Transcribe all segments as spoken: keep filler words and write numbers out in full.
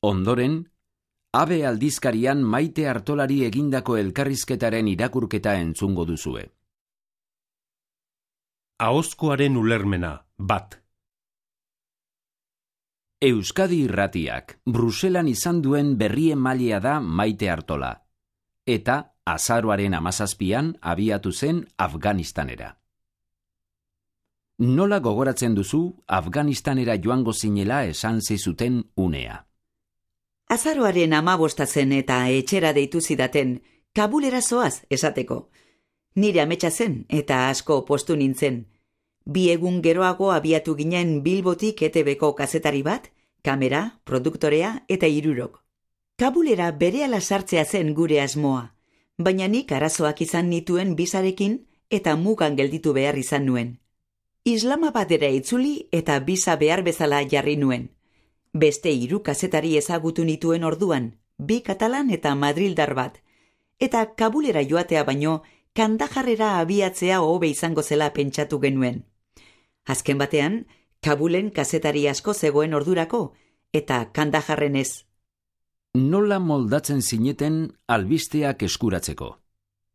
Ondoren, Abe aldizkarian Maite Artolari egindako elkarrizketaren irakurketa entzungo duzue. Ahozkoaren ulermena, bat. Euskadi Irratiak Bruselan izan duen berri emailea da Maite Artola, eta azaroaren hamazazpian abiatu zen Afganistanera. Nola gogoratzen duzu Afganistanera joango zinela esan zizuten unea? Azaroaren hamabosta zen eta etxera deitu zidaten, Kabulera zoaz esateko. Nire ametsa zen eta asko postu nintzen. Bi egun geroago abiatu ginen Bilbotik E T Bko kazetari bat, kamera, produktorea eta hirurok. Kabulera berehala sartzea zen gure asmoa, baina nik arazoak izan nituen bisarekin eta mugan gelditu behar izan nuen. Islamabadera itzuli eta bisa behar bezala jarri nuen. Beste hiru kazetari ezagutu nituen orduan, bi katalan eta madrildar bat, eta Kabulera joatea baino Kandajarrera abiatzea hobe izango zela pentsatu genuen. Azken batean, Kabulen kazetari asko zegoen ordurako, eta Kandajarren ez. Nola moldatzen zineten albisteak eskuratzeko?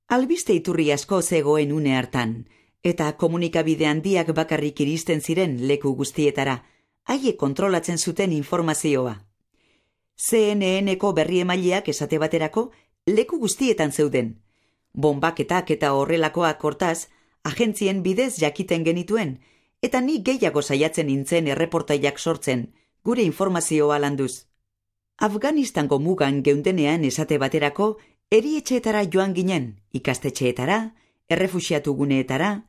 Albiste iturri asko zegoen une hartan, eta komunikabide handiak bakarrik iristen ziren leku guztietara, haiek kontrolatzen zuten informazioa. C N N-ko berri emaileak esate baterako leku guztietan zeuden. Bonbaketak eta horrelakoak hortaz, agentzien bidez jakiten genituen, eta ni gehiago saiatzen nintzen erreportaiak sortzen, gure informazioa landuz. Afganistango mugan geundenean esate baterako, erietxeetara joan ginen, ikastetxeetara, errefuxiatu guneetara,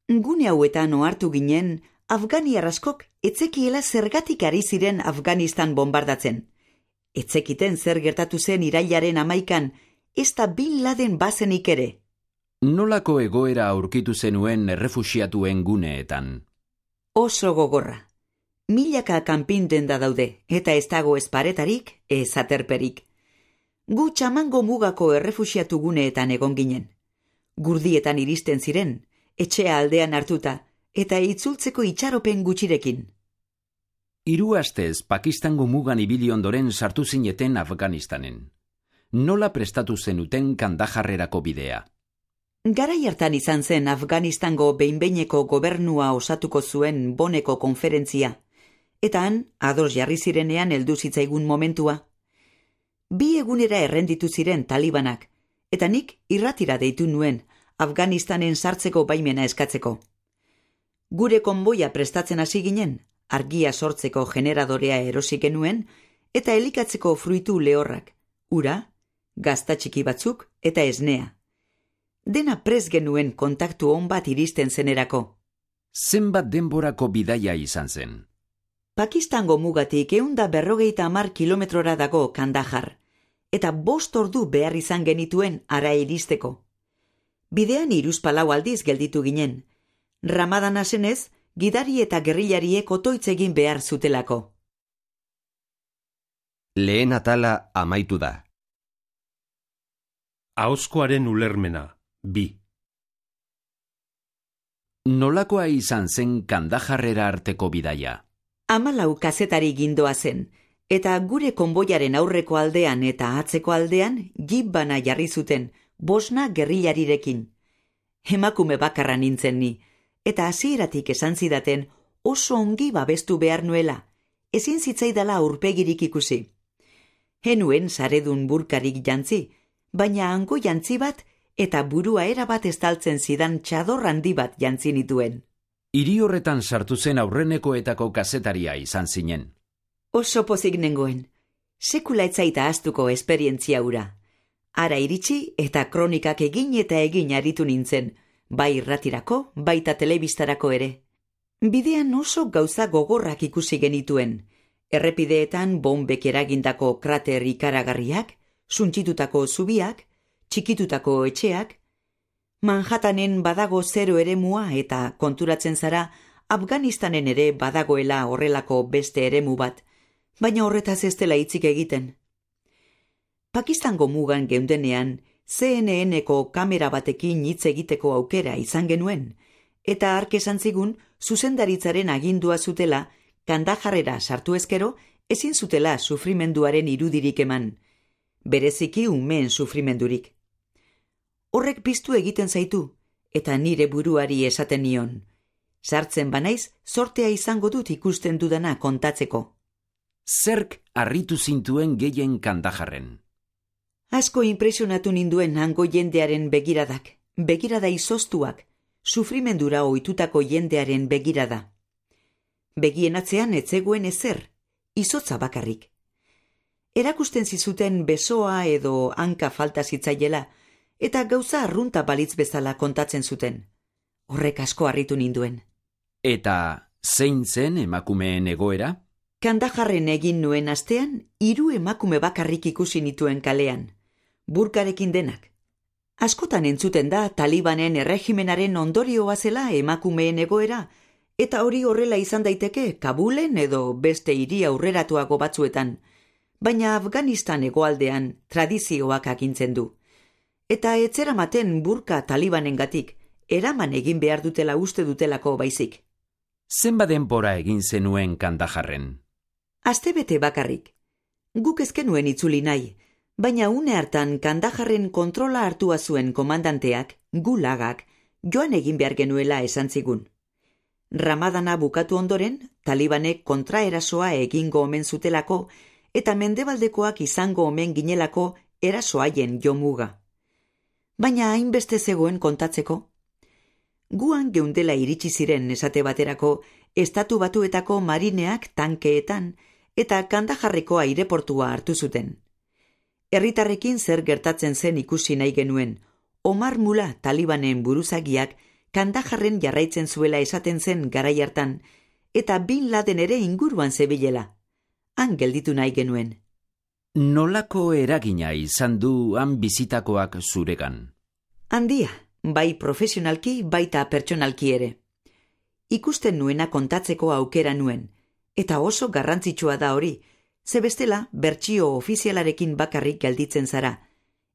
gune hauetan ohartu ginen, Afganiar askok etzekiela zergatik ari ziren Afganistan bombardatzen. Etzekiten zer gertatu zen irailaren hamaikan, ez da Bin Laden bazenik ere. Nolako egoera aurkitu zenuen errefuxiatuen guneetan? Oso gogorra. Milaka kanpinten da daude, eta ez dago ez paretarik, ez aterperik. Gu Txamango mugako errefuxiatu guneetan egon ginen. Gurdietan iristen ziren, etxea aldean hartuta, eta itzultzeko itxaropen gutxirekin. Hiru astez Pakistango mugan ibili ondoren sartu zineten Afganistanen. Nola prestatu zenuten Kandajarrerako bidea? Garai hartan izan zen Afganistango behin-behineko gobernua osatuko zuen Boneko konferentzia, eta han, ados jarri zirenean heldu zitzaigun momentua. Bi egunera errenditu ziren talibanak, eta nik irratira deitu nuen Afganistanen sartzeko baimena eskatzeko. Gure konboia prestatzen hasi ginen, argia sortzeko generadorea erosi genuen, eta elikatzeko fruitu lehorrak, ura, gazta txiki batzuk eta esnea. Dena prest genuen kontaktu on bat iristen zenerako. Zenbat denborako bidaia izan zen? Pakistango mugatik ehunda berrogeita hamar kilometrora dago Kandajar, eta bost ordu behar izan genituen ara iristeko. Bidean hiruzpalau aldiz gelditu ginen, Ramadana zenez, gidari eta gerrilariek otoitz egin behar zutelako. Lehen atala amaitu da. Ahozkoaren ulermena, bi. Nolakoa izan zen Kandajarrera arteko bidaia? Hamalau kazetari gindoa zen, eta gure konboiaren aurreko aldean eta atzeko aldean jeep bana jarri zuten, bosna gerrilarirekin. Emakume bakarra nintzen ni, eta hasieratik esan zidaten oso ongi babestu behar nuela, ezin zitzaidala aurpegirik ikusi. Henuen saredun burkarik jantzi, baina hango jantzi bat eta burua erabat estaltzen zidan txador handi bat jantzi nituen. Hiri horretan sartu zen aurrenekoetako kazetaria izan zinen. Oso pozik nengoen, sekula etzaita ahaztuko esperientzia hura. Ara iritsi eta kronikak egin eta egin aritu nintzen, bai irratirako, baita telebistarako ere. Bidean oso gauza gogorrak ikusi genituen, errepideetan bombek eragindako krater ikaragarriak, suntsitutako zubiak, txikitutako etxeak, Manhattanen badago zero eremua eta konturatzen zara Afganistanen ere badagoela horrelako beste eremu bat, baina horretaz ez dela hitzik egiten. Pakistango mugan geundenean C N N-ko kamera batekin hitz egiteko aukera izan genuen, eta hark esan zigun zuzendaritzaren agindua zutela Kandajarrera sartu ezkero ezin zutela sufrimenduaren irudirik eman, bereziki umeen sufrimendurik. Horrek piztu egiten zaitu, eta nire buruari esaten nion. Sartzen banaiz, sortea izango dut ikusten dudana kontatzeko. Zerk harritu zintuen gehien Kandajarren? Asko impresionatu ninduen hango jendearen begiradak, begirada izoztuak, sufrimendura ohitutako jendearen begirada. Begien atzean ez zegoen ezer, izotza bakarrik. Erakusten zizuten besoa edo hanka falta zitzaiela, eta gauza arrunta balitz bezala kontatzen zuten. Horrek asko harritu ninduen. Eta zein zen emakumeen egoera? Kandajarren egin nuen astean, hiru emakume bakarrik ikusi nituen kalean, burkarekin denak. Askotan entzuten da Talibanen erregimenaren ondorioa zela emakumeen egoera, eta hori horrela izan daiteke Kabulen edo beste hiri aurreratuago batzuetan, baina Afganistan hegoaldean tradizioak agintzen du. Eta etzeramaten burka Talibanengatik, eraman egin behar dutela uste dutelako baizik. Zenbat denbora egin zenuen Kandajarren? Astebete bakarrik. Guk ezkenuen itzuli nahi, baina une hartan Kandajarren kontrola hartua zuen komandanteak, gulagak, joan egin behar genuela esan zigun. Ramadana bukatu ondoren, Talibanek kontraerasoa egingo omen zutelako, eta mendebaldekoak izango omen ginelako erasoaien jomuga. Baina hainbeste zegoen kontatzeko. Guan geundela iritsi ziren esate baterako, estatu batuetako marineak tankeetan, eta Kandajarreko aireportua hartu zuten. Herritarrekin zer gertatzen zen ikusi nahi genuen, Omar Mula Talibanen buruzagiak Kandajarren jarraitzen zuela esaten zen garai hartan, eta Bin Laden ere inguruan zebilela. Han gelditu nahi genuen. Nolako eragina izan du han bizitakoak zuregan? Handia, bai profesionalki baita pertsonalki ere. Ikusten nuena kontatzeko aukera nuen, eta oso garrantzitsua da hori, ze bestela bertsio ofizialarekin bakarrik gelditzen zara,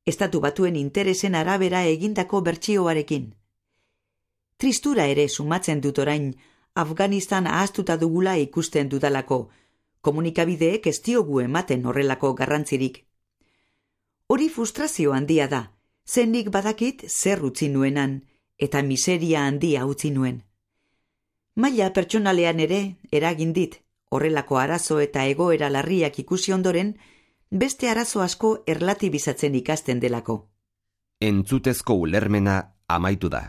estatu batuen interesen arabera egindako bertsioarekin. Tristura ere sumatzen dut orain, Afganistan ahaztuta dugula ikusten dudalako, komunikabideek ez diogu ematen horrelako garrantzirik. Hori frustrazio handia da, zenik badakit zer utzi nuenan, eta miseria handia utzi nuen. Maila pertsonalean ere eragin dit, horrelako arazo eta egoera larriak ikusi ondoren, beste arazo asko erlatibizatzen ikasten delako. Entzutezko ulermena amaitu da.